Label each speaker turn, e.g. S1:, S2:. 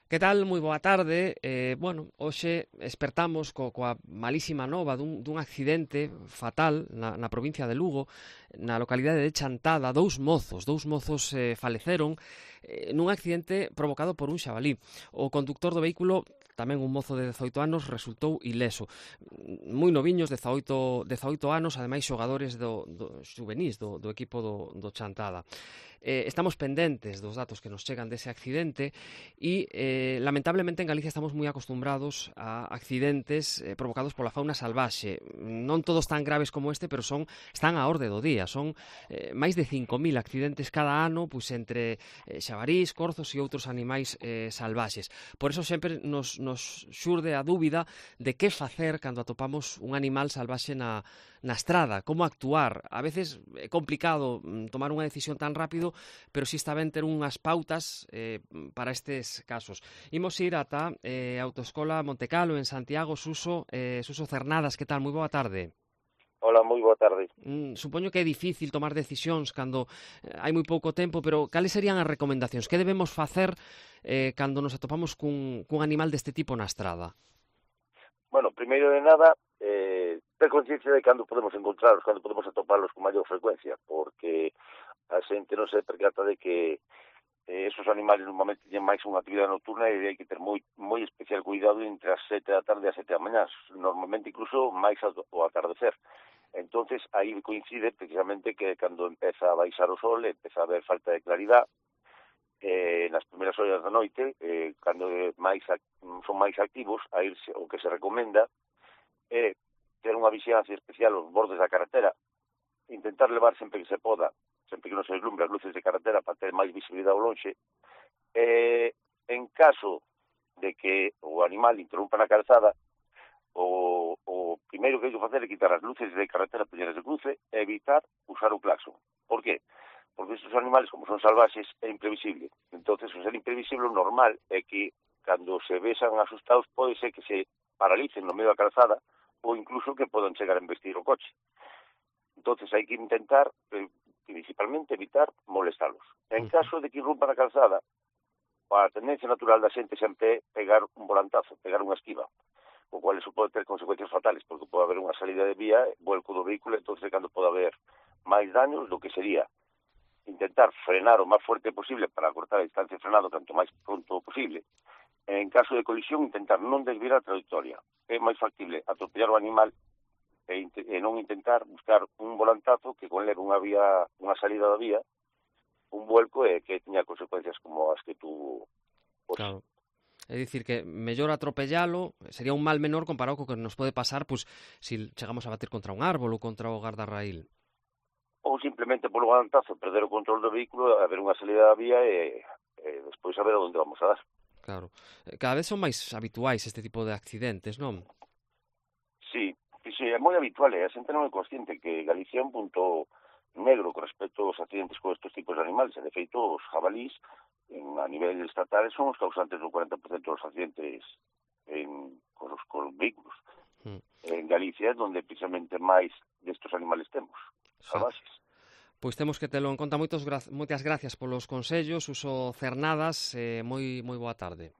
S1: Que tal? Moi boa tarde. Hoxe espertamos coa malísima nova dun accidente fatal na provincia de Lugo, na localidade de Chantada. Dous mozos faleceron nun accidente provocado por un xabalí. O conductor do vehículo, tamén un mozo de 18 anos, resultou ileso. Moi noviños, 18 anos, ademais xogadores do xuvenís do equipo do Chantada. Estamos pendentes dos datos que nos chegan dese accidente e, lamentablemente, en Galicia estamos moi acostumbrados a accidentes provocados pola fauna salvaxe. Non todos tan graves como este, pero están á orde do día. Son máis de 5.000 accidentes cada ano, pois entre xabarís, corzos e outros animais salvaxes. Por eso sempre nos xurde a dúbida de que facer cando atopamos un animal salvaxe na estrada, como actuar. A veces é complicado tomar unha decisión tan rápido, pero si está ben ter unhas pautas para estes casos. Imos ir ata Autoescola Montecalo en Santiago. Suso Cernadas, que tal? Moi boa tarde.
S2: Hola, moi boa tarde.
S1: Supoño que é difícil tomar decisións cando hai moi pouco tempo, pero cales serían as recomendacións? Que debemos facer cando nos atopamos cun animal deste tipo na estrada?
S2: Bueno, primeiro de nada, ter conciencia de cando podemos encontrarlos, cando podemos atoparlos con maior frecuencia, porque a xente non se percata de que esos animales normalmente teñen máis unha actividade nocturna e hai que ter moi especial cuidado entre as 7 da tarde e as 7 da mañá, normalmente incluso máis ao atardecer. Entonces, aí coincide precisamente que cando empeza a baixar o sol, empeza a haber falta de claridade, nas primeiras horas da noite, cando son máis activos, a irse, o que se recomenda é ter unha vixilancia especial aos bordes da carretera, intentar levar sempre que se poda, sempre que non se deslumbre as luces de carretera para ter máis visibilidade ao lonxe. En caso de que o animal interrumpa na calzada, o primeiro que hai que facer é quitar as luces de carretera peñeras de cruce e evitar usar o claxon. Por qué? Porque estes animales, como son salvaxes, é imprevisible. Entonces, o ser imprevisible, o normal é que, cando se vexan asustados, pode ser que se paralicen no medio da calzada ou incluso que podan chegar a embestir o coche. Entonces, hai que intentar, principalmente, evitar molestalos. En caso de que irrumpan a calzada, a tendencia natural da xente sempre é pegar un volantazo, pegar unha esquiva, o cual eso pode ter consecuencias fatales, porque pode haber unha salida de vía, vuelco do vehículo, entonces cando pode haber máis daños do que sería intentar frenar o máis fuerte posible para cortar a distancia de frenado tanto máis pronto posible. En caso de colisión, intentar non desviar a trayectoria. É máis factible atropellar o animal e non intentar buscar un volantazo que conleve unha salida da vía, un vuelco e que teña consecuencias como as que tú...
S1: Claro. É dicir que mellor atropellalo, sería un mal menor comparado co que nos pode pasar se chegamos a bater contra un árbol ou contra o gardarraíl.
S2: Ou simplemente polo volantazo perder o control do vehículo, haber unha salida da vía e despois saber onde vamos a dar.
S1: Claro. Cada vez son máis habituais este tipo de accidentes, non?
S2: Sí, é moi habitual, a xente non é consciente que Galicia é un punto negro con respecto aos accidentes con estes tipos de animales. De feito, os jabalís a nivel estatal son os causantes do 40% dos accidentes con os vehículos. En Galicia é onde precisamente máis destes animales temos, salvaxes.
S1: Pois temos que telo en conta. Moitas gracias polos consellos. Suso Cernadas, moi boa tarde.